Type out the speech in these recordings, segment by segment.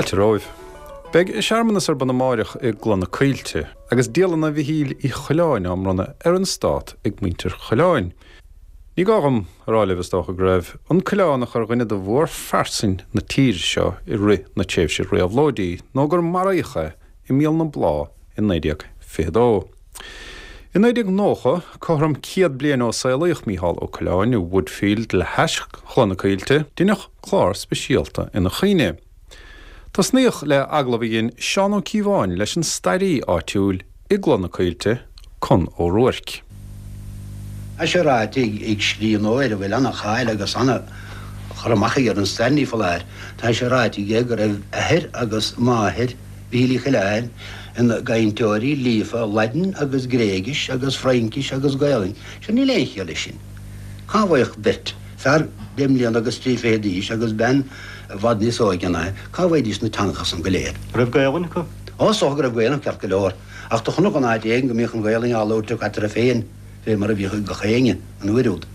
Fáilte romhaibh. Beidh searmanas ar bun amáireach i gCloich na Coillte agus dialanna Mhichíl Uí Choileáin á mbronnadh ar an Stát ag muintir Choileáin. Ní gá dhom a rá libh is dócha go raibh an Coileánach ar dhuine de mhórphearsain na tíre seo i rith na tréimhse réabhlóidí nó gur maraíodh é i Míol na Blá i 1922. I 1990, cothrom 100 bliain ó saolaíodh Mícheál Ó Coileáin i Woodfield le hais Chloich na Coillte, deineadh clár speisialta ina chuimhne. Tosnaíodh le agallamh a dhein Seán Ó Cíobháin leis an stairí áitiúil i gCloich na Coillte, Con Ó Ruairc. Tá sé ráite ag scríbhneoir a bhfuil ana-cháil agus ana-chur amach aige ar an stair, ní foláir, tá sé ráite aige go raibh athair agus máthair Mhichíl Uí Choileáin ina gcainteoirí líofa Laidin agus Gréigis agus Fraincis agus Gaelainn. Sure níl aon chiall leis sin. Cá bhfaigheadh beirt, fear deich mbliana agus 30 d'aois agus bean i bhfad níos óige ná é, cá bhfaighidís na teangacha san go léir? Raibh Gaelainn acu? Ó, is dócha go raibh Gaelainn acu ceart go leor. Ach do chonac in áit éigin go mbíodh an Ghaelainn á labhairt acu eatarthu féin. Fé mar a bhíodh ag gach éinne an uair úd.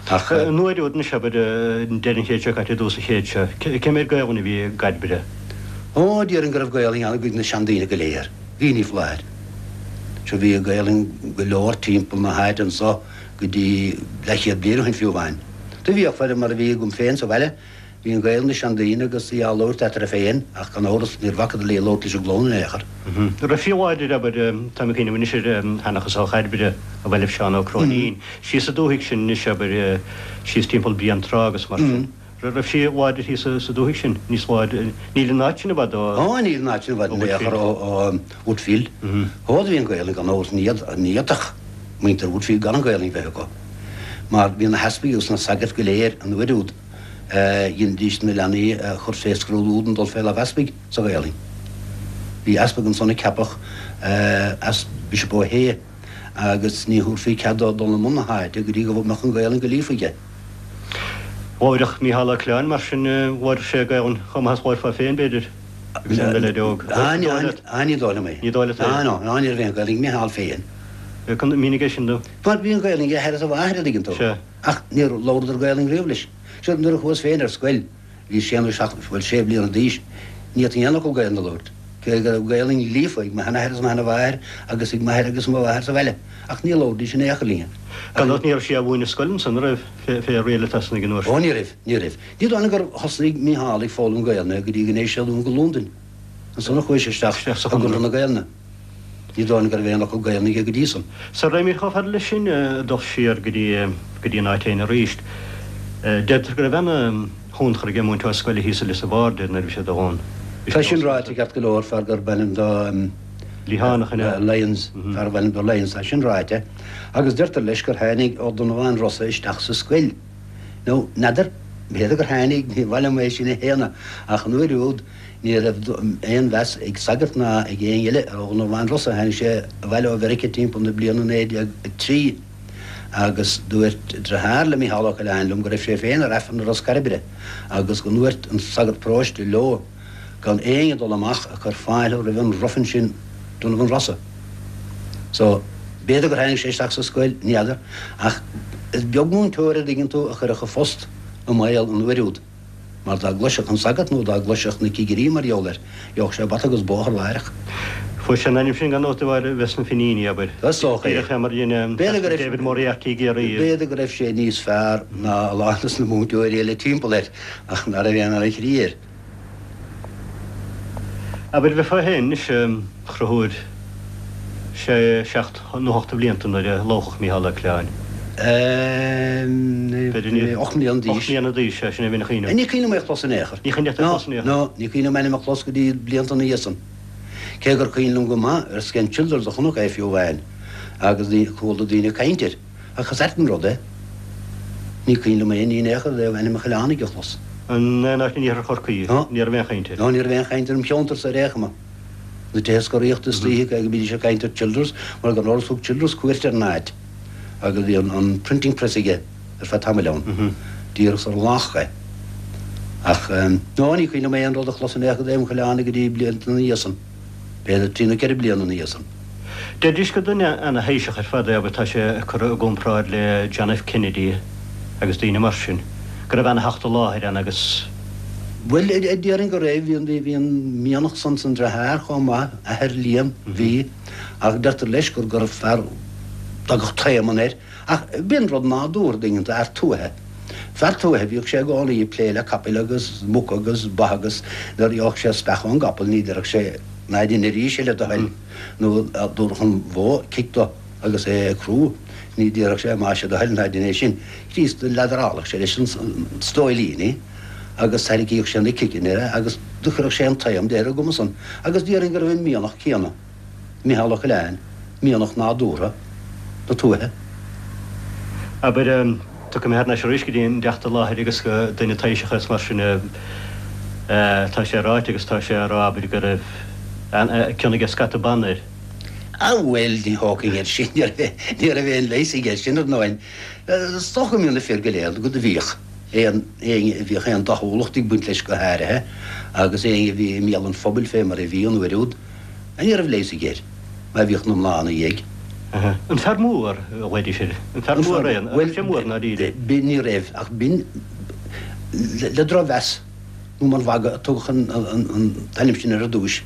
Ach. An uair úd anois, abair, deireadh an chéid seo caite, dtús an chéid seo, cé méid Gaelainn a bhí i gCairbre? Ó, déarfainn go raibh Gaelainn ann i gcuid de na seandaoine go léir. Bhí, ní foláir. Sure bhí Gaelainn go leor timpeall na háite anso go dtí leathchéad bliain ó shin fiú amháin. Do bhíodh, fé mar a bhí agam féin sa bhaile, Bhí an Ghaelainn ag seandaoine agus í á labhairt eatarthu féin ach gan amhras níor bhacadar léi labhairt leis an gclann in aon chor. Raibh sí láidir, abair, táim ag cuimhneamh anois ar sheanchas ó Chairbre a bhailigh Seán Ó Cróinín, síos sa dúthaigh sin anois, abair, síos timpeall Bréantrá agus mar sin. Raibh sí láidir thíos sa dúthaigh sin, níos láidre, níl an áit sin i bhfad ó. Ó, níl an áit sin i bhfad in aon chor ó Woodfield. Ó, do bhí an Ghaelainn gan amhras, ní fhéadfadh muintir Woodfield gan an Ghaelainn bheith acu mar bhí na heaspaig agus na sagairt go léir an uair úd. Dheinidís na leanaí a chur fé scrúdú don dul fé láimh easpaig sa Ghaelainn. Bhí easpag ansan a ceapadh as Bishop O'Hea agus ní thabharfaí cead dó dul i mbun na háite go dtí go mbeadh an Ghaelainn go líofa aige. Labhaireadh Mícheál Ó Coileáin mar sin, labhaireadh sé Gaelainn chomh maith is labhairfeá féin, b'fhéidir, agus é ina leaid óg. Á, ní dóigh liom é. Ní dóigh leat é? Á, no, ní raibh aon Ghaelainn ag Mícheál féin. Mínigh é sin dom. Mar bhí an Ghaelainn ag a athair is a mháthair, a dtuigeann tú. Sea. Ach níor labhradar Gaelainn riamh leis. Sure, nuair a chuas féin ar scoil, bhí sé nó seacht, bhuel, sé bliana d'aois, ní fhéadfainn aon fhocal Gaelainn a labhairt, cé go raibh Gaelainn líofa ag mo sheanathair is mo sheanamháthair agus ag m'athair agus mo mháthair sa bhaile, ach ní labhraidís in aon chor linn. Gan dabht ní raibh sí á mhúineadh i scoil ansan, an raibh, fé riail atá san ag an uair sin? Ó, ní raibh, ní raibh. Ní dóigh liom gur thosnaigh Mícheál ag foghlaim Gaelainne go dtí go ndeachaigh sé anonn go Londain. Ansan a chuaigh sé isteach i gConradh na Gaelainne. Ní dóigh liom go raibh aon fhocal Gaelainne aige go dtí san. Sara raghaimid chomh fada leis sin, dul siar go dtí, go dtí an áit féin arís, deirtear go raibh ana-thionchar ag an múinteoir scoile thíos i Lios a' Bhaird air nuair a bhí sé ag dul ann. Bhí Tá sin ráite ceart go leor, fear gurb ainm dó Liathánach an ea? Lyons, fear arbh ainm dó Lyons, tá sin ráite. Agus deirtear leis gur tháinig Ó Donnabháin Rosa isteach sa scoil. Nó, n'fheadar, b'fhéidir gur tháinig, ní maith liom é sin a shéanadh, ach an uair úd, Ní raibh aon mheas ag sagart ná ag éinne eile ar Ó Donnabháin Rosa. Tháinig sé abhaile ó Mheiriceá timpeall na bliana 1903 agus dúirt deartháir le Mícheál Ó Coileáin liom go raibh sé féin ar Aifreann i Ros Cairbre agus go ndúirt an sagart paróiste leo gan éinne dul amach ag cur fáilte roimh an ruffian sin Donovan Rossa. So, b'fhéidir gur tháinig sé isteach sa scoil, ní fheadar, ach is beag múinteoir a dtuigeann tú a chuirfeadh a phost i mbaol an uair úd. Mar dá gcloisfeadh an sagart nó dá gcloisfeadh na cigirí mar gheall air, gheobhadh sé bata agus bóthar láithreach. Fuair sé an ainm sin gan dabht de bharr a bheith sna Finíní, abair. Is dócha é. Díreach é mar a dhein B'fhéidir go raibh. David Moriarty i gCiarraí. B'fhéidir go raibh sé níos fearr ná a lán dos na múinteoirí eile timpeall air, ach ná raibh aon ana-chroí air. Abair, bheifeá féin anois, a Chonchúir, sé, seacht nó ocht de bhlianta nuair a lóchadh Mícheál Ó Coileáin. B'fhéidir ní. 8 mbliana d'aois. 8 mbliana d'aois, sea, sin é a bhínn ag cuimhneamh. Ní cuimhin liom é a chlos in aon chor. Ní cuimhin leat é a chlos in aon chor? No, ní cuimhin liom a ainm a chlos go dtí blianta ina dhiaidh san. Cé gur cuimhin liom go maith ar Sken Childers a chonac é fiú amháin agus chuala daoine ag caint air. Ach is ait an rud é, ní cuimhin liom aon ní in aon chor i dtaobh ainm an Choileánaigh a chlos. In aon áit in iarthar Chorcaí, ní raibh aon chaint air. No, ní raibh aon chaint ar an cheantar so ar aon chuma. Na tithe scoraíochta istoíche cé go mbídís ag caint ar Childers, mar gan amhras thug Childers cuairt ar an áit agus bhí an printing press aige ar feadh tamaill ann, díreach sar a lóchadh é. Ach, no, ní cuimhin liom aon rud a chlos in aon chor i dtaobh an Choileánaigh go dtí blianta ina dhiaidh san. B'fhéidir trí nó ceithre bliana ina dhiaidh san. Deiridís gur duine ana-thaoiseach ar fad é, abair, tá sé curtha i gcomparáid le John F. Kennedy agus daoine mar sin, go raibh ana-theacht i láthair ann agus. Bhuel, déarfainn go raibh, bhí an mianach san san dreatháir chomh maith, athair Liam, bhí, ach deirtear leis gur gur fear, dtagadh taomann air, ach b'in rud nádúrtha dtuigeann tú, fhear tuaithe. Fear tuaithe, bhíodh sé i gcónaí ag plé le capaill agus muca agus ba agus nuair a gheobhadh sé speach ón gcapall ní déarfadh sé ná dein arís é le do thoil nó dá dtabharfadh an bhó cic dó agus é ag crú ní déarfadh sé más é do thoil ná dein é sin. Críost do leadarálfadh sé leis an stóilín í agus thairricíodh sé na ciceanna air agus do chuirfeadh sé an taom de ar an gcuma san agus déarfainn go raibh an mianach céanna, Micheál Ó Coileáin, mianach nádúrtha na tuaithe. Abair, tiocfaidh mé thar n-ais arís go dtí an dteacht i láthair agus go duine taoiseach is mar sin tá sé ráite agus tá sé á rá abair go raibh cion aige scata ban air. Á bhuel, ní thógfainn air sin, ní raibh aon leigheas aige sin ar ndóigh. Is dócha go mbíonn na fir go léir go do bhíodh aon éinne a bhíodh aon dathúlacht ag baint leis go háirithe agus éinne a bhí i mbéal an phobail fé mar a bhí an uair úd, ní raibh leigheas aige air má bhíodh na mná ina dhiaidh. An fear mór, a ghlaoidís air. An fear mór é, an raibh sé mór i ndáiríre? Bhuel, ní raibh, ach b'in le drochmheas. nó mar mhagadh a tugadh an t-ainm sin air ar dtúis,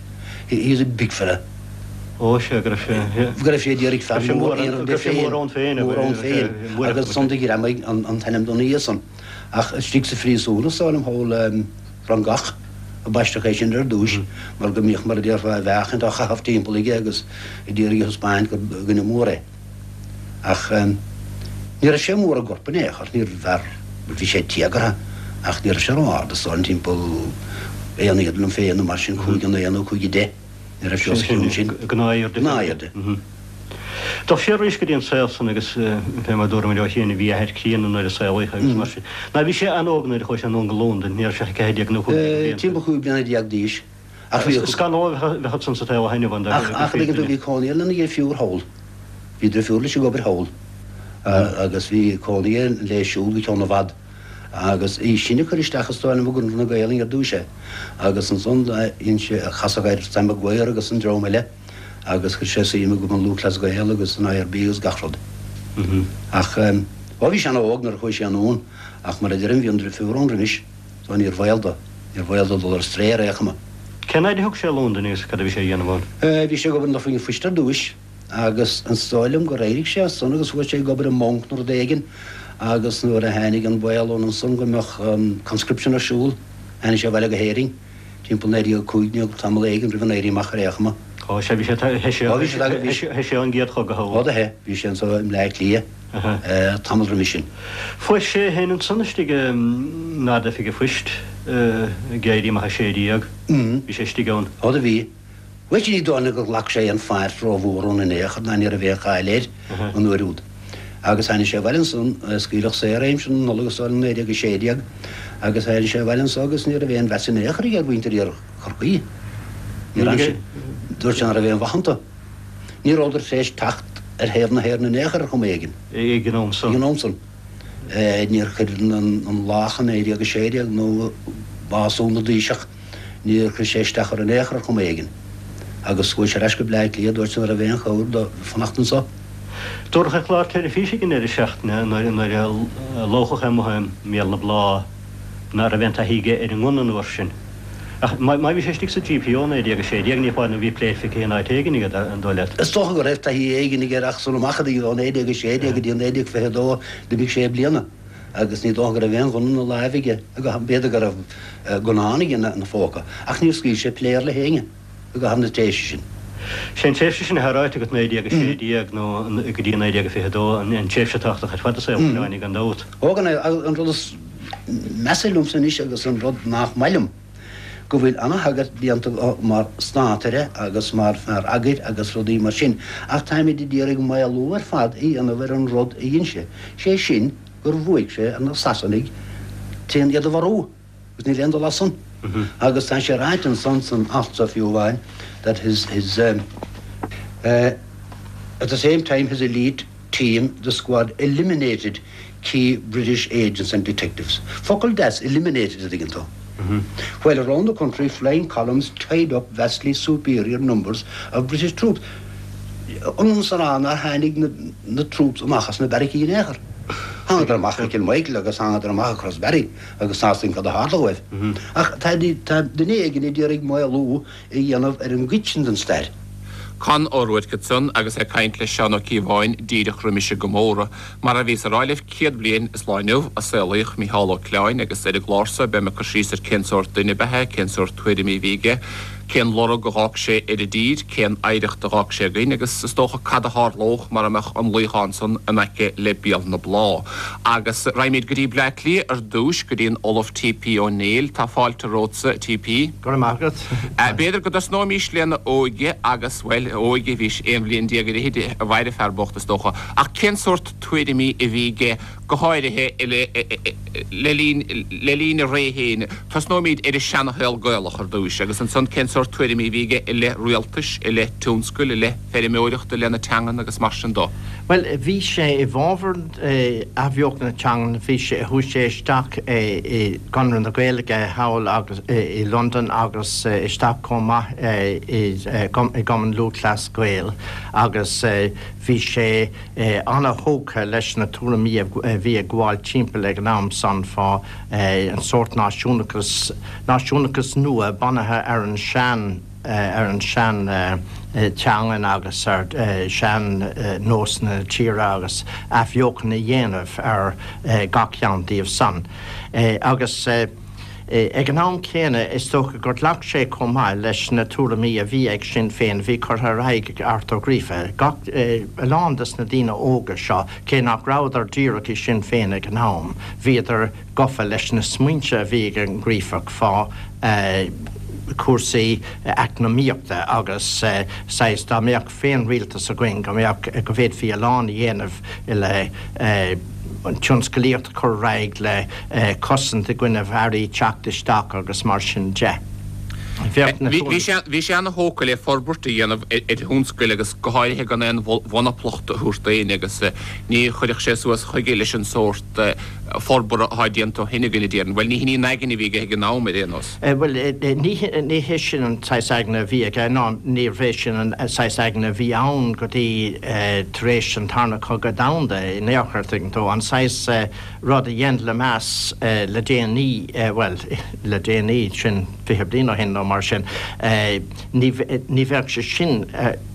he was a big fella. Ó, sea, go raibh sé, go raibh sé a d'iarraidh fear mór a dhéanamh de féin, mór ann féin, mór ann féin, agus ansan do ghreamaigh an t-ainm dona dhiaidh san. Ach istigh sa phríosún, is dóigh liom, thall i Frongoch, a baisteadh é sin ar dtúis, mar go mbíodh, mar a déarfá, a mheáchaint á chaitheamh timpeall aige agus a d'iarraidh a thaispeáint gur dhuine mór é. Ach ní raibh sé mór i gcorp in aon chor, níorbh fhear, bhuel bhí sé téagartha ach ní raibh sé ró-ard, is dóigh liom timpeall aon fhichead liom féin nó mar sin, 5-9 nó 5-10, ní raibh sé os a chionn sin. Gnáthairde. Gnáthairde. Dul siar arís go dtí an saol san agus fé mar dúramar leo féin bhí a athair críonna nuair a saolaíodh é agus mar sin. Ná bhí sé an-óg nuair a chuaigh sé anonn go Londain, ní raibh sé ach 14 nó 15 bliain. Timpeall 15 bliana d'aois. Ach bhí. Scannal a bheadh ansan sa tsaol ó shin, a Ach, ach, tuigeann tú, bhí cónaí air lena dheirfiúr thall. Bhí drifiúr leis ag obair thall. Agus bhí cónaí air léi siúd go ceann i bhfad. Agus í sin a chuir isteach is dóigh liom i gConradh na Gaelainne ar dtúis é. Agus ansan dhein sé, casadh air Sam Maguire agus an dream eile agus chuir sé suim i gCumann Lúthchleas Gael agus an IRB agus gach rud. Ach, ó bhí sé an-óg nuair a chuaigh sé anonn ach mar a deirim bhí an drifiúr ann roimis. So níor bhaol dó, níor bhaol dó dul ar strae ar aon chuma. Cén fhaid a thug sé i Londain agus cad a bhí sé a dhéanamh ann? Bhí sé ag obair in Oifig an Phoist ar dtúis agus is dóigh liom gur éirigh sé as san agus chuaigh sé ag obair i mbanc nó rud éigin agus nuair a tháinig an baol ann ansan go mbeadh an conscription ar siúl, tháinig sé abhaile go hÉirinn timpeall 1915, tamall éigin roimh an Éirí Amach ar aon chuma. Ó sea, bhí sé, theith sé, theith sé ón gcéad chogadh thall. Ó do theith, bhí sé anso i mBleá Cliath. tamall roimis sin. Fuair sé é féin ansan istigh in Ard-Oifig an Phoist ag Éirí Amach 16. Bhí sé istigh ann. Ó do bhí. Bhuel sin ní dóigh liom gur ghlac sé aon pháirt rómhór ann in aon chor ná ní raibh aon cháil air an uair úd. Agus tháinig sé abhaile ansan, scaoileadh saor é aimsir na Nollag is dóigh liom 1916 agus tháinig sé abhaile anso agus ní raibh aon mheas in aon chor aige ar mhuintir Iarthar Chorcaí. Ní raibh sé. Dúirt sé nach raibh aon mhaith iontu. Ní rabhadar tar éis teacht ar thaobh na hÉireann in aon chor ar chuma éigin. Ag an am san. Ag an am san. Níor chuir an lách in 1916 nó bású na dTaoiseach, níor chuir sé isteach orthu in aon chor ar chuma éigin. Agus chuaigh sé ar ais go Bleá Cliath, dúirt sé nach raibh aon chabhair dó fanacht anso. Dúradh ar chlár teilifíse ag an deireadh seachtaine nuair a lóchadh é amuigh i mBéal na Blá ná raibh aon taithí aige ar an ngunna an uair sin. Ach má bhí sé istigh sa GPO 1916 ní foláir nó bhí pléip aige in áit éigin aige, an dóigh leat? Is dócha go raibh taithí éigin aige ach sul amach ó 1916 go dtí 1922 d'imigh sé bliana agus ní dócha go raibh aon ghunna ina láimh aige, b'fhéidir go raibh gunnán aige ina phóca ach níor scaoil sé pléar le héinne i gcaitheamh na tréimhse sin. Sé an tréimhse sin atá ráite agat, 1916 nó go dtí 1922, an tréimhse tábhachtach ar fad i saol Uí Choileáin gan dabht. Ó gan an rud is measa liomsa anois agus an rud nach maith liom, go bhfuil ana-thagairt déanta dó mar státaire agus mar fear eagair agus rudaí mar sin, ach táimid a d'iarraidh maolú ar fad a dhéanamh ar an rud a dhein sé, sé sin gur bhuaigh sé ar na Sasanaigh tréna iad a mharú, agus níl aon dul as san. Agus tá sé ráite ansan san alt so fiú amháin that his, his, at the same time his elite team, the squad, eliminated key British agents and detectives. Focal deas, eliminated, a dtuigeann tú. While around the country flying columns tied up vastly superior numbers of British troops. Ionann is a rá nár tháinig na troops amach as na beairicí in aon chor. Thángadar amach i gCill Mhichíl agus thángadar amach i Crossbarry agus tá's againn cad a tharla dóibh. Ach tá duine éigin a d'iarraidh maolú a dhéanamh ar an gcuid sin den stair. Conn Ó Ruairc ansan agus é ag caint le Seán Ó Cíobháin díreach roimis an gcomóradh. Mar a bhíos a rá libh, 100 bliain is lá inniu a saolaíodh Mícheál Ó Coileáin agus ar an gclár so beidh mé ag cur síos ar cén sórt duine ab ea é, cén sórt tuairimí a bhí aige, cén lorg a dh'fhág sé ar an dtír, cén oidhreacht a dh'fhág sé againn agus is dócha cad a tharlódh mara mbeadh an luíochán san in aice le Béal na Blá. Agus raghaimid go dtí Bleá Cliath ar dtúis, go dtí an Ollamh T.P. Ó Néill. Tá fáilte romhatsa, T.P. Go raibh maith agat. B'fhéidir go dtosnóimís lena óige agus, bhuel, a óige, bhí sé aon bhliain déag ar fhichid a mhair an fear bocht, is dócha. Ach cén sórt tuairimí a bhí aige, go háirithe le linn, le linn a ré féin? Tosnóimid ar an seanashaol Gaelach ar dtúis, agus ansan cén sórt tuairimí a bhí aige i leith rialtais, i leith tionscail, i leith feirmeoireachta, i leith na teangan agus mar sin do. Bhuel, bhí sé i bhfabhar athbheochan na teangan, bhí sé, chuaigh sé isteach i gConradh na Gaeilge thall agus i Londain agus isteach chomh maith i gCumann Lúthchleas Gael agus bhí sé ana-thógtha leis na tuairimí a bhí ag gabháil timpeall ag an am san fá an sórt náisiúnachas, náisiúnachas nua bunaithe ar an sean. ar an sean teangain agus ar sean nósanna na tíre agus athbheochan a dhéanamh ar gach ceann díobh san. Agus ag an am céanna is dócha gur ghlac sé chomh maith leis na tuairimí a bhí ag Sinn Féin a bhí curtha ar aghaidh ag Art Ó Gríofa. Gach, a lán des na daoine óga seo, cé nach rabhadar díreach i Sinn Féin ag an am, bhíodar gofa leis na smaointe a bhí ag an nGríofach fá chúrsaí eacnamaíochta agus saghas dá mbeadh féinrialtas againn go mbeadh, go bhféadfaí a lán a dhéanamh le an tionscalaíocht a chur ar aghaidh, le cosaint i gcoinnibh earraí teacht isteach agus mar sin de. Bheadh na. Bhí sé ana-thógtha le forbairt a dhéanamh ar thionscail agus go háirithe gan aon mhonaplacht a thabhairt d'éinne agus ní chuirfeadh sé suas chuige leis an sórt forbartha atá déanta ó shin againn, a déarfainn. Bhuel, ní hin í an aigne a bhí aige ag an am, ar aon nós. Bhuel, ní hé sin an saghas aigne a bhí aige, ná níorbh é sin an saghas aigne a bhí ann go dtí tar éis an Tarna Cogadh Domhanda in aon chor, tuigeann tú. An saghas rud a dhein Lemass le déanaí, bhuel, le déanaí, sin 20 bliain ó shin nó mar sin, ní bheadh sé sin,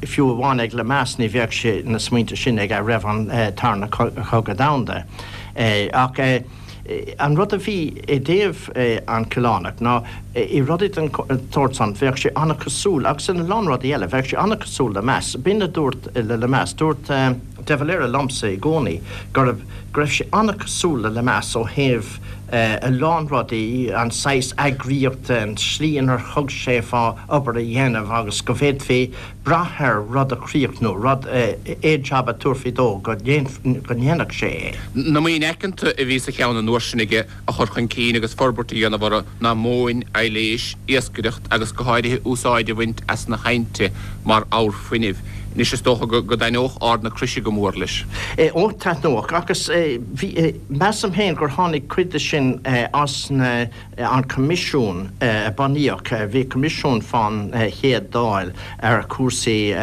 fiú amháin ag Lemass, ní bheadh sé, na smaointe sin aige roimh an Tarna Cogadh Domhanda. Ach an rud a bhí i dtaobh an Coileánach ná i rudaí den tsórt san bheadh sé an-chosúil, agus ina lán rudaí eile, bheadh sé an-chosúil le Lemass. B'in a dúirt le Lemass, dúirt de Valera liomsa i gcónaí go raibh, go raibh sé an-chosúil le Lemass ó thaobh a lán rudaí, an saghas eagraíochta, an tslí inar thug sé fá obair a dhéanamh agus go bhféadfaí brath air rud a chríochnú, rud, aon jab a tabharfaí dó go ndéanfadh sé é. Na maoin aiceanta a bhí sa cheann an uair sin aige a chur chun cinn agus forbairt a dhéanamh orthu ná móin, aibhléis, iascaireacht agus go háirithe úsáid a bhaint as na haibhnte mar abhar fuinnimh. Anois is dócha go dtaitneodh Ard na Croise go mór leis. Ó, taitneodh. Agus bhí, measaim féin gur tháinig cuid de sin as na. an coimisiún a bunaíodh, bhí coimisiún fán Chéad Dáil ar chúrsaí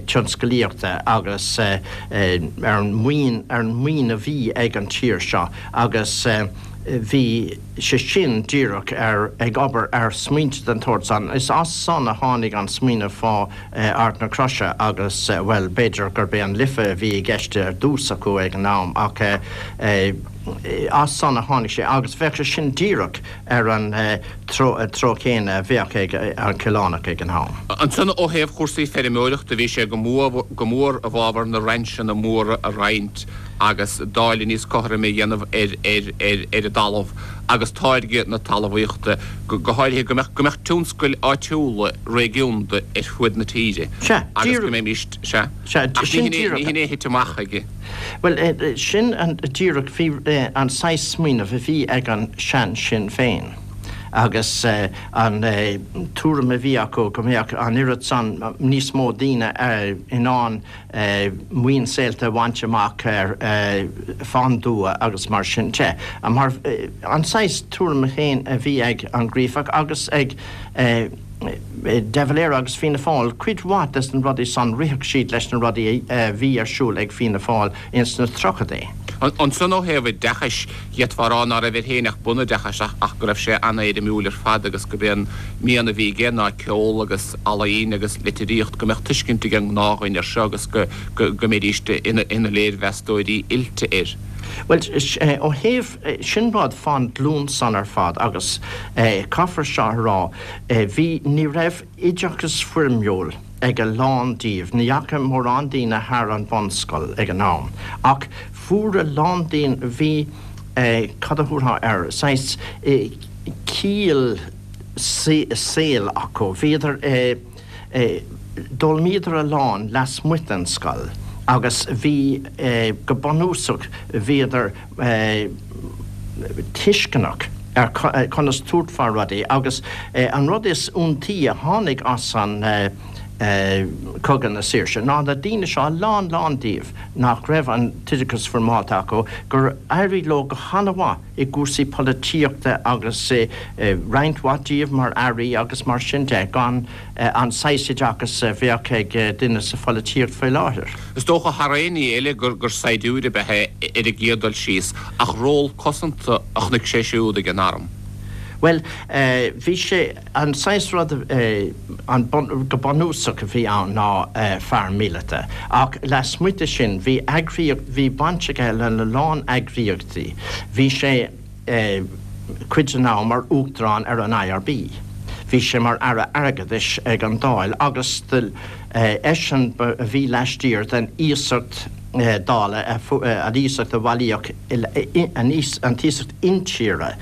tionscalaíochta agus ar an maoin, ar an maoin a bhí ag an tír seo agus bhí sé sin díreach ar, ag obair ar smaointe den tsórt san. Is as san a tháinig an smaoineamh fá Ard na Croise agus, bhuel, b'fhéidir gurb é an Life a bhí i gceist ar dtús acu ag an am ach as san a tháinig sé agus bheadh sé sin díreach ar an treo céanna a bheadh ag an Coileánach ag an am. Ansan ó thaobh chúrsaí feirmeoireachta bhí sé go mór i bhfabhar na rainseanna móra a roinnt agus dáileadh níos cothroime a dhéanamh ar ar an dtalamh agus táirgeadh na talmhaíochta, go háirithe go mbeadh go mbeadh tionscail áitiúla réigiúnda ar fuaid na tíre Sea, agus go mbeimís, sea, Sea, ach ní sin hin é, ní díreach. hin é a thit amach aige. Bhuel, sin an díreach, bhí an saghas smaoineamh a bhí ag an sean Sinn Féin agus an tuairim a bhí acu go mbeadh an oiread san níos mó daoine in ann maoin saolta a bhaint amach ar fán dtuath agus mar sin de. Mar an saghas tuairim féin a bhí ag an Gríofach agus ag De Valera agus Fianna Fáil, cuid mhaith des na rudaí san rithfeadh siad leis na rudaí a bhí ar siúl ag Fianna Fáil ins na tríochaidí. Ansan ó thaobh oideachais, d'fhéadfá a rá ná raibh air féin ach bunoideachas ach go raibh sé an-éirimiúil ar fad agus gurb é an mian a bhí aige ná ceol agus ealaín agus litríocht, go mbeadh tuiscint ag an ngnáthdhuine air seo agus go mbeidís ina léirmheastóirí oilte air. Bhuel, ó thaobh, sin rud fán ghlúin san ar fad agus caithfear seo a rá, bhí, ní raibh oideachas foirmiúil ag a lán díobh, ní dheachaigh mórán daoine thar an bhunscoil ag an am, ach fuair a lán daoine, bhí, cad a thabharfá air, saghas ciall saoil acu, bhíodar, d'fhoghlaimíodar a lán lasmuigh den scoil agus bhí, go bunúsach, bhíodar tuisceanach ar conas tabhairt fá rudaí agus an rud is iontaí a tháinig as an Cogadh na Saoirse ná na daoine seo, a lán lán díobh nach raibh an t-oideachas foirmeálta acu, gur éirigh leo go han-mhaith i gcúrsaí polaitíochta agus roinnt mhaith díobh mar airí agus mar sin de, gan an saghas oideachais a bheadh ag duine sa pholaitíocht faoi láthair. Is dócha, thar aon ní eile, gur saighdiúir ab ea é ar an gcéad dul síos, ach ról cosanta a chonaic sé siúd ag an arm. Bhuel, bhí sé, an saghas rud, an, go bunúsach a bhí ann ná fear míleata, ach lasmuigh de sin, bhí eagraíocht, bhí baint aige lena lán eagraíochtaí. Bhí sé cuid den am mar Uachtarán ar an IRB. Bhí sé mar Aire Airgeadais ag an Dáil agus eisean a bhí laistiar den iasacht Dála, an iasacht a bhailíodh, an t-iasacht intíre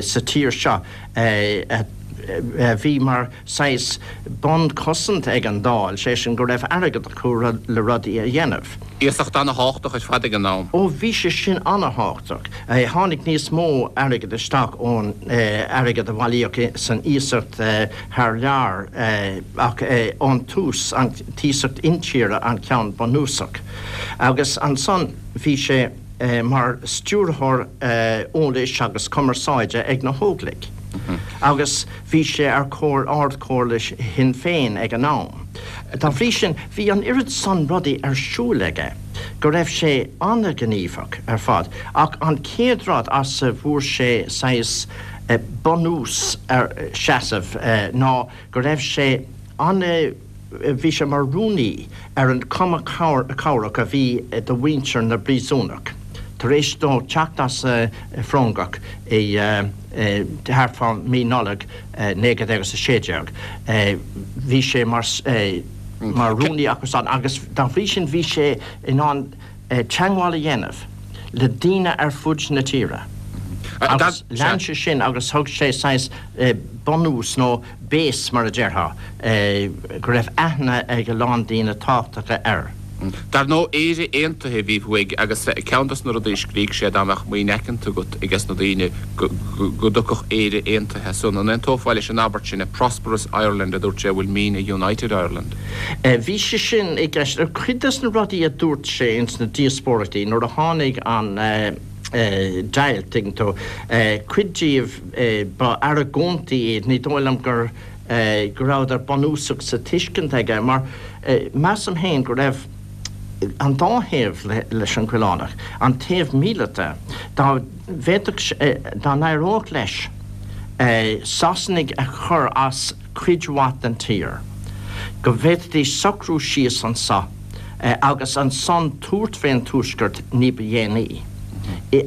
sa tír seo a bhí mar saghas bonn cosanta ag an Dáil, sé sin go raibh airgead acu le rudaí a dhéanamh. Iasacht ana-thábhachtach ar fad ag an am. Ó bhí sé sin ana-thábhachtach. Tháinig níos mó airgid isteach ón airgead a bhailíodh san iasacht thar lear ach ón tús, an t-iasacht intíre an ceann bunúsach. Agus ansan bhí sé. mar stiúrthóir eolais agus cumarsáide ag na hÓglaigh agus bhí sé ar Ard-Chomhairle Shinn Féin ag an am. Dá bhrí sin, bhí an oiread san rudaí ar siúl aige go raibh sé an-ghníomhach ar fad. Ach an chéad rud as a bhfuair sé saghas bunús ar seasamh ná go raibh sé an-. Bhí sé mar rúnaí ar an Chumann Cabhrach a bhí do mhuintir na bpríosúnach. Tar éis dó teacht as an bhFrongoch i thart fá mí Nollag 1916, bhí sé mar mar rúnaí acu san agus dá bhrí sin bhí sé in ann teagmháil a dhéanamh le daoine ar fud na tíre. Agus lean sé sin agus thug sé saghas bunús nó base mar a déarfá, go raibh aithne ag a lán daoine tábhachtacha air. Dar ndóigh, Éire Aontaithe a bhí uaidh agus ceann dos na rudaí a scrígh sé dá mbeadh maoin aiceanta agat ages na daoine go dtiocfadh Éire Aontaithe as san. An aontófá leis an abairt sin, a prosperous Ireland a dúirt sé will mean a united Ireland? Bhí sé sin i gceist. Cuid des na rudaí a dúirt sé ins na díospóireachtaí nuair a tháinig an deighilt, tuigeann tú, cuid díobh, Ba argóintí iad, ní dóigh liom gur go rabhadar bunúsach sa tuiscint aige, mar measaim féin go raibh an dá thaobh leis an Choileánach, an taobh míleata, dá bhféadfadh, dá n-éireodh leis Sasanaigh a chur as cuid mhaith den tír, go bhféadfaidís socrú síos anso agus ansan tabhairt fén Tuaisceart ní ba dhéanaí.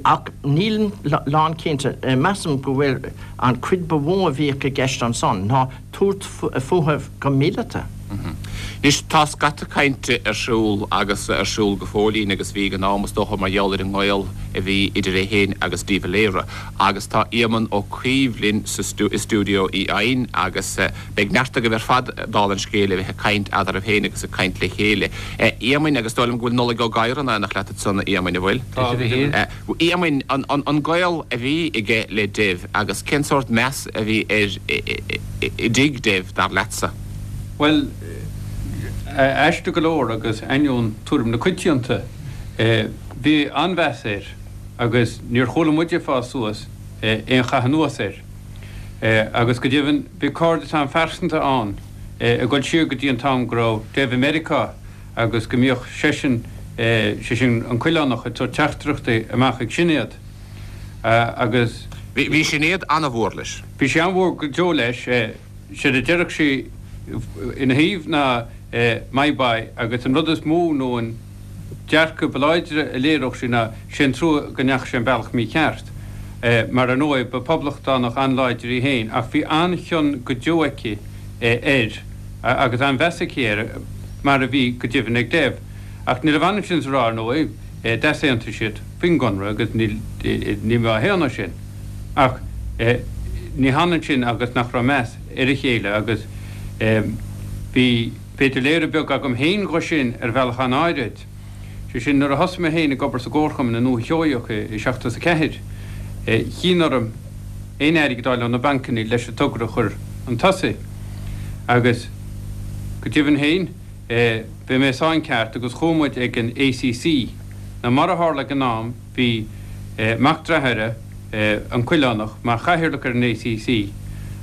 Ach nílim lánchinnte, measaim go bhfuil an chuid ba mhó a bhíodh i gceist ansan ná tabhairt fúthu go míleata. Anois, tá scata cainte ar siúl agus ar siúl go fóillín agus bhí ag an am, is dócha, mar gheall ar an ngaol a bhí idir é féin agus de Valera. Agus tá Éamonn Ó Cuív linn sa i stiúideo Uí Eidhin agus beidh neart agaibh ar fad, dála an scéil, a bheith ag caint eadraibh féin agus ag caint le chéile. A Éamoinn, agus dóigh liom go bhfuil Nollaig Ó Gadhra in éineacht leat ansan, a Éamoinn, an bhfuil? Tá, a Mhichíl. A Éamoinn, an gaol a bhí aige le Dev agus cén sórt meas a bhí air i dtigh Dev, dar leatsa? Bhuel, aisteach go leor agus ainneoin tuairim na coitianta, bhí an-mheas air. agus níor chuala muide ag fás suas aon chath anuas air. Agus go deimhin bhí cairdeas an-phearsanta ann ag dul siar go dtí an t-am go raibh Dev i Meiriceá agus go mbíodh seisean. sé sin an Coileánach, ag tabhairt teachtaireachtaí amach ag Sinéad agus. Bhí Sinéad an-mhór leis. Bhí sí an-mhór go deo leis. Séard a déarfadh sí ina thaobh ná my boy agus an rud is mó nó an dearcadh ba láidre a léireodh sí ná sé an trua go ndeachaigh sé an bealach mícheart. Mar ar ndóigh ba poblachtánach an-láidir í féin ach bhí an-chion go deo aici air agus an-mheas aici air mar a bhí go deimhin ag Dev. Ach ní raibh ansin is a rá ar ndóigh d'easaontaigh siad faoin gConradh agus níl mé á shéanadh sin. Ach ní hionann sin agus nach raibh meas ar a chéile agus bhí, b'fhéidir, léiriú beag agam féin dho sin ar bhealach an-áirid. Sé sin, nuair a thosaigh mé féin ag obair sa gComharchumann i nDúiche Sheoigheach i 74, chinn orm aon airgead a fháil ó na bancanna leis an togra a chur chun tosaigh. Agus go deimhin féin, bhí mé sa gceart agus chuaigh muid ag an ACC. Now mar a tharla ag an am, Bhí mac dearthára, an Coileánach, mar chathaoirleach ar an ACC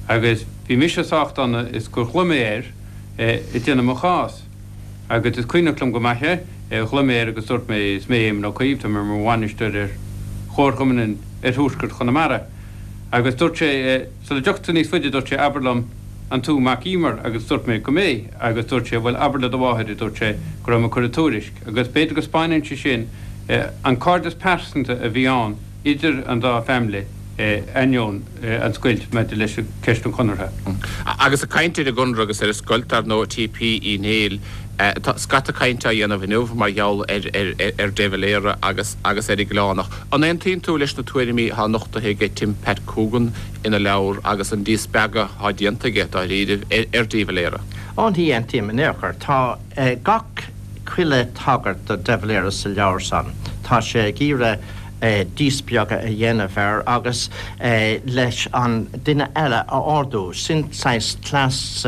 agus bhí mise sách dona is gur ghlaoigh mé air ag déanamh mo chás. Agus is cuimhneach liom go maith é, ghlaoigh mé air agus dúirt mé, is mé Éamon Ó Cuív, tá mé mar bhainisteoir ar Chomharchumann in Oirthuaisceart Chonamara. Agus dúirt sé, sula dtiocfadh tú níos faide, dúirt sé, abair liom, an tú mac Emer? Agus dúirt mé go mb'é. Agus dúirt sé, bhuel, abair le do mháthair, a dúirt sé, go raibh mé ag cur an tuairisc. Agus b'fhéidir go spáineann sé sin an cairdeas pearsanta a bhí ann idir an dá family ainneoin an scoilt maidir leis ceist an Chonartha. Agus ag caint ar an gConradh agus ar an scoilt, dar ndóigh, T.P. Uí Néill, tá scata cainte á dhéanamh inniu mar gheall ar De Valera agus agus ar an gCoileánach. An aontaíonn tú leis na tuairimí atá nochtaithe aige Tim Pat Coogan ina leabhar agus an díspeagadh atá déanta aige, dáiríribh, ar De Valera? Ó ní aontaím in aon chor. Tá gach chuile tagairt do De Valera sa leabhar san. Tá sé ag iarraidh díspeagadh a dhéanamh air agus leis an duine eile a ardú. Sin saghas cleas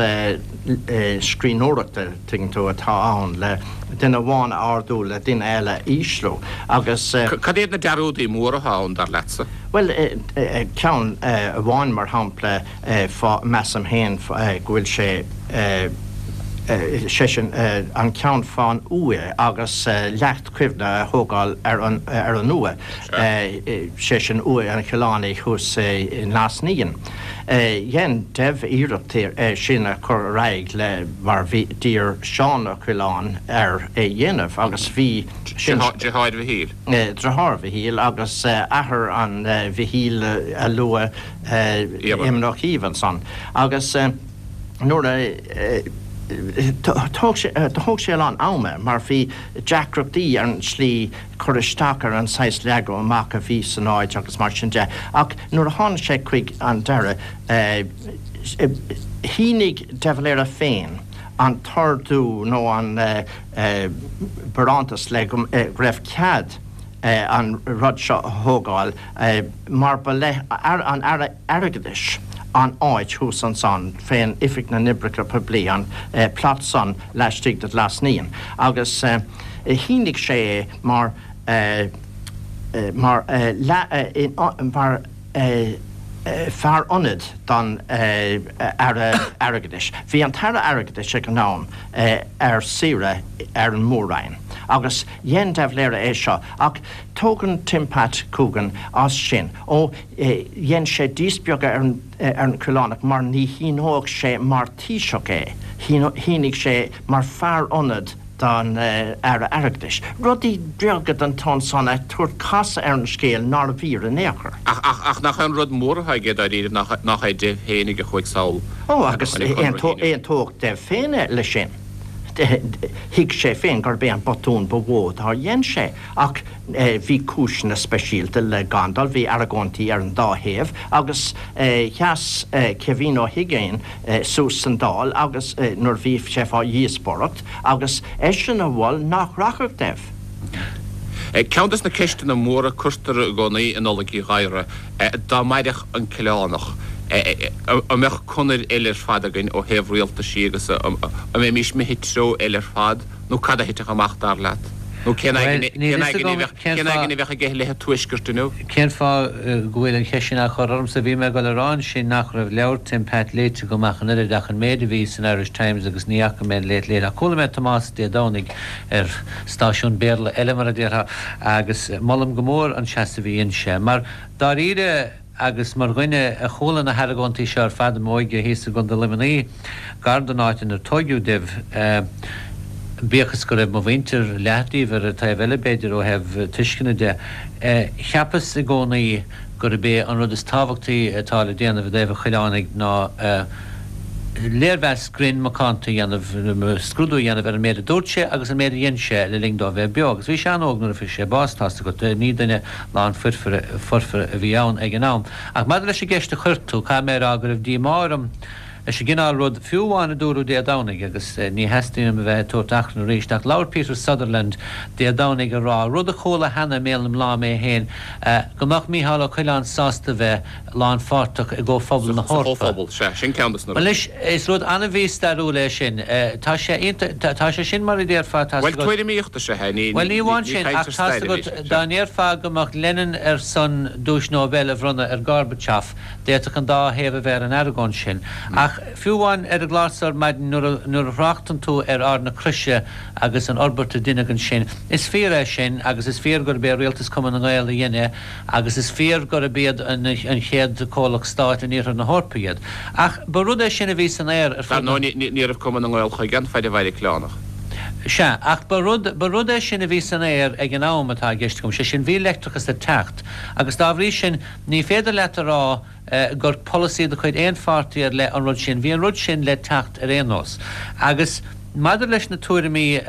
scríbhneoireachta, tuigeann tú, atá ann, le duine amháin a ardú le duine eile a ísliú. Agus. Cad iad na dearúdaí móra atá ann, dar leatsa? Bhuel, ceann amháin, mar shampla, fá, measaim féin, go bhfuil sé, sé sin, an ceann fán uaigh agus leacht cuimhne a thógáil ar an, ar an uaigh, sé sin uaigh an Choileánaigh thuas i nGlas Naíon. Dhein Dev iarracht é sin a chur ar aghaidh le, mar bhí, d'iarr Seán Ó Coileáin air é dhéanamh agus bhí sin. Deartháir Mhichíl. Deartháir Mhichíl agus athair an Mhichíl a luadh Éamon Ó Cuív ansan agus nuair a thóg sé, thóg sé a lán ama mar bhí deacrachtaí ar an tslí cur isteach ar an saghas leagadh amach a bhí san áit agus mar sin de ach nuair a tháinig sé chuig an deireadh shínigh de Valera féin an t-ordú nó an barántas le go raibh cead an rud seo a thógáil mar ba le an Aire Airgeadais an áit thuas ansan fén Oifig na nOibreacha Poiblí, an plot san laistigh de Ghlas Naíon agus shínigh sé é mar mar mar fear ionaid don Aire Airgeadais. Bhí an tAire Airgeadais ag an am ar saoire ar an Mór-Roinn agus Dhein De Valera é seo, ach tógann Tim Pat Coogan as sin. Ó, dhein sé díspeagadh ar an ar an Choileánach mar ní shíneodh sé mar Taoiseach é, shínigh sé mar fear ionaid don Aire Airgeadais. Rudaí beaga den tsórt san ag tabhairt casadh ar an scéal nárbh fhíor in aon chor. Ach, ach, ach nach é an rud mór atá aige dáiríre nach, nach é Dev féinig a chuaigh sall Ó, agus aontódh Dev féin leis sin. Thuig sé féin gurb é an botún ba mhó dár dhein sé, ach bhí cúiseanna speisialta le gan dul, bhí argóintí ar an dá thaobh, agus sheas Kevin Ó hUiginn suas san Dáil agus nuair a bhí sé fá dhíospóireacht, agus eisean a mhol nach rachadh Dev. Ceann des na ceisteanna móra cuirtear i gcónaí i Nollaig Uí Ghadhra, dá mairfeadh an Coileánach, an mbeadh conair eile ar fad againn ó thaobh rialtaisí agus an mbeimis imithe treo eile ar fad nó cad a thitfeadh amach dar leat? Nó cén aigne a bheadh aige i leith an Tuaiscirt inniu? Cén fáth go bhfuil an cheist sin á chur ormsa? Bhí mé ag dul a rá ansin nach raibh leabhar Tim Pat léite agam ach an oiread ach an méid a bhí san Irish Times agus ní fhaca mé an léacht léite. Ach chuala mé Tomás Dé Domhnaigh ar stáisiún Béarla eile mar a déarfá agus molaim go mór an seasamh a dhein sé mar dáiríre Agus mar dhuine a chuala na hargóintí seo ar fad i m'óige thíos i gContae Luimnigh, gar don áit inar tóigeadh domh, bíodh is go raibh mo mhuintir, leath díobh, ar an taobh eile b'fhéidir ó thaobh tuisceana de, cheapas i gcónaí gurb é an rud is tábhachtaí atá le déanamh i dtaobh an Choileánaigh ná léirmheas grinn macánta a dhéanamh, scrúdú a dhéanamh ar an méid a dúirt sé agus an méid a dhein sé le linn dó a bheith beo. Agus bhí sé an-óg nuair a fuair sé bás, tá's agat, ní duine lán foirfe a bhí ann ag an am. Ach maidir leis an gceist a chuir tú, caithfidh mé a rá go raibh díomá orm leis an gcineál rud, fiú amháin a dúradh Dé Domhnaigh, agus ní theastaíonn uaim a bheith ag tabhairt achrann arís, ach labhair Peter Sutherland Dé Domhnaigh ag rá, rud a chuala cheana i mbéal na mná mé féin, go mbeadh Mícheál Ó Coileáin sásta bheith lánpháirteach i gComhphobal na Sa hEorpa. Chomhphobal, sea, sin ceann de na rudaí. Anois, is rud an-mhí-stairiúil é sin. Tá sé iontach, tá sé sin mar a déarfá, tá's Bhuel, agat. tuairimíocht is ea é, ní, Bhuel, ní ní, amháin ní sin, caint ach ar tá's stair agat, é, dá sea. ndéarfá go mbeadh Lenin ar son Duais Nobel a bhronnadh ar Gorbachev, d'fhéadfadh an dá thaobh a bheith ar an argóint sin. Ach fiú amháin ar an gclár so ar maidin, nuair a, nuair a thráchtann tú ar Ard na Croise agus an fhorbairt a deineadh ansin, is fíor é sin agus is fíor gurb é Rialtas Cumann na nGael a dhein é, Agus is fíor gurb iad an chéad comhlacht stáit in iarthar na hEorpa iad. Ach ba rud é sin a bhí san aer ar Dar fud na. ndóigh, ní raibh Cumann na nGael chuige an faid a mhair an Coileánach. Sea, ach ba rud, ba rud é sin a bhí san aer ag an am atá i gceist agam, sé sin, bhí leictreachas ag teacht agus dá bhrí sin ní féidir leat a rá gur polasaí de chuid aon pháirtí ar leith an rud sin. Bhí an rud sin le teacht ar aon nós. Agus maidir leis na tuairimí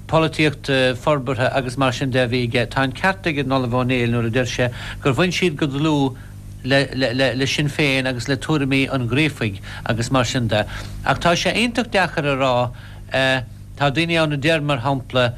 polaitíochta, forbartha agus mar sin de a bhí aige, tá an ceart ag an Ollamh Ó Néill nuair a deir sé gur bhain siad go dlúth le le Sinn Féin agus le tuairimí an Ghríofaigh agus mar sin de. Ach tá sé iontach deacair a rá, tá daoine ann a deir, mar shampla,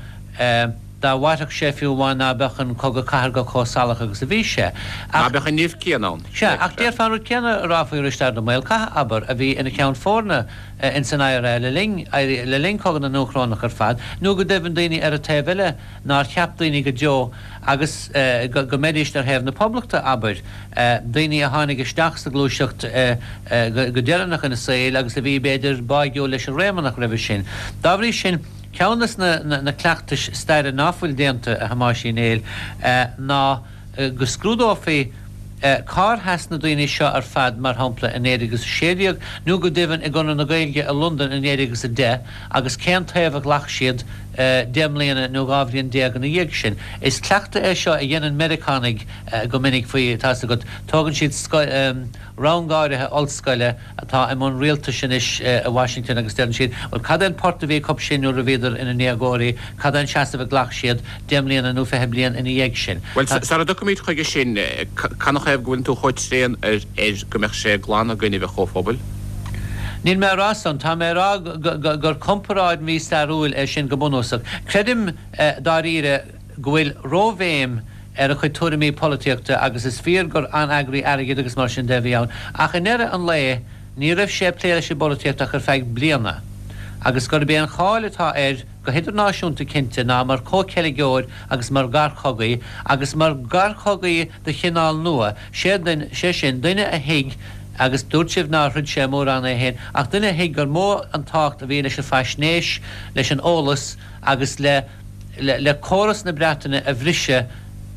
Dá mhairfeadh sé fiú amháin ná beadh an Cogadh Cathartha chomh salach agus a bhí sé. Ná beadh an nimh céanna ann. Sea, ach déarfá an rud céanna a rá faoi Risteard Ó Maolchatha, abair, a bhí ina cheann foirne ins an IRA le linn le linn Cogadh na nDúchrónach ar fad, nó go deimhin daoine ar an taobh eile nár cheap daoine go deo agus go go mbeidíst ar thaobh na Poblachta, abair, daoine a tháinig isteach sa ghluaiseacht go deireanach ina saol agus a bhí, b'fhéidir, báigiúil leis an Réamonnach roimhe sin. Dá bhrí sin. Ceann de na cleachtais staire ná fuil déanta, a Thomáis Uí Néill, ná go scrúdófaí cár sheas na daoine seo ar fad, mar shampla, i 1916, nó go deimhin i gConradh na Gaeilge i Londain i 1910, agus cén taobh a ghlac siad deich mbliana nó 12 bhliain ina dhiaidh sin. Is cleachtadh é seo a dhéanann Meiriceánaigh go minic faoi, tá's agat, tógann siad rang áirithe ollscoile, atá i mbun rialtais anois i Washington agus deireann siad, bhuel, cad é an port a bhí acu sin nuair a bhíodar ina ndéagóirí, cad é an seasamh a ghlac siad deich mbliana nó 20 bliain ina dhiaidh sin? Bhuel, sara dtiocfaimid chuige sin, canathaobh go bhfuileann tú chomh tréan air go mbeadh sé glan i gcoinnibh an Chomhphobail? Níl mé a rá san. Tá mé a rá gur comparáid mhí-stairiúil é sin go bunúsach. Creidim, dáiríre, go bhfuil róbhéim ar a chuid tuairimí polaitíochta agus is fíor gur an-eagraí airgid agus mar sin de a bhí ann ach i ndeireadh an lae ní raibh sé ag plé leis an bpolaitíocht ach ar feadh bliana agus gurb é an cháil atá air go hidirnáisiúnta cinnte ná mar chomhcheilgeoir agus mar gharchogaí agus mar gharchogaí de chineál nua, sé sin, duine a thuig agus dúirt sibh nár throid sé mórán é féin ach duine a thuig gur mó an tábhacht a bhí leis an bhfaisnéis, leis an eolas agus le. le córas na Breataine a bhriseadh,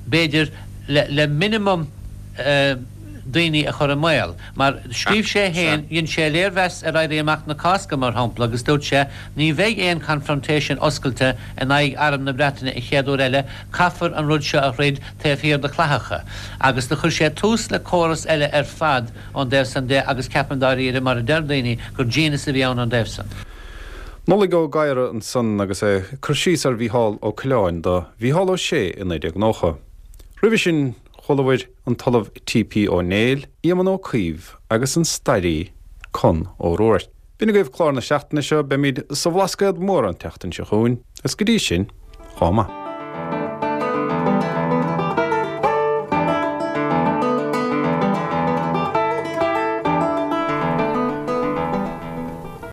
b'fhéidir, le minimum daoine a chur i mbaol. Mar scríobh sé féin, dhein sé léirmheas ar Éirí Amach na Cásca, mar shampla, agus dúirt sé, ní bheidh aon confrontation oscailte in aghaidh arm na Breataine an chéad uair eile, caithfear an rud seo a throid taobh thiar de chlaitheacha. Agus do chuir sé tús le córas eile ar fad ón dtaobh san de agus ceapaim dáiríre, mar a deir daoine, gur genius a bhí ann ón dtaobh san. Nollaig Ó Gadhra ansan agus é ag cur síos ar Mhícheál Ó Coileáin do Mhícheál Ó Sé i 1990. Roimhe sin chualabhair an tOllamh T.P. Ó Néill, Éamon Ó Cuív agus an stairí Con Ó Ruairc. B'in agaibh clár na seachtaine seo, beimid sa Bhlascaod Mór an tseachtain seo chugainn, agus go dtí sin, chomh maith.